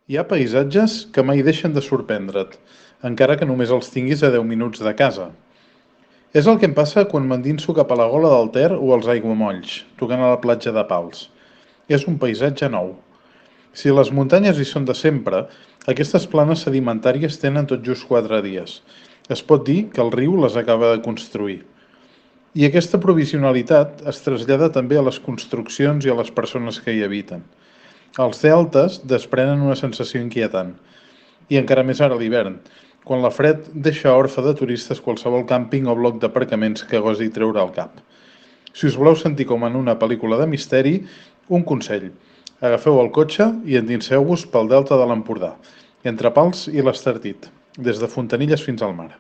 Hi ha paisatges que mai deixen de sorprendre't, encara que només els tinguis a 10 minuts de casa. És el que em passa quan m'endinso cap a la gola del Ter o als aiguamolls, tocant a la platja de Pals. És un paisatge nou. Si les muntanyes hi són de sempre, aquestes planes sedimentàries tenen tot just 4 dies. Es pot dir que el riu les acaba de construir. I aquesta provisionalitat es trasllada també a les construccions i a les persones que hi habiten. Els deltes desprenen una sensació inquietant, i encara més ara a l'hivern, quan la fred deixa orfe de turistes qualsevol càmping o bloc d'aparcaments que gosi treure al cap. Si us voleu sentir com en una pel·lícula de misteri, un consell: agafeu el cotxe i endinseu-vos pel delta de l'Empordà, entre Pals i l'Estartit, des de Fontanilles fins al mar.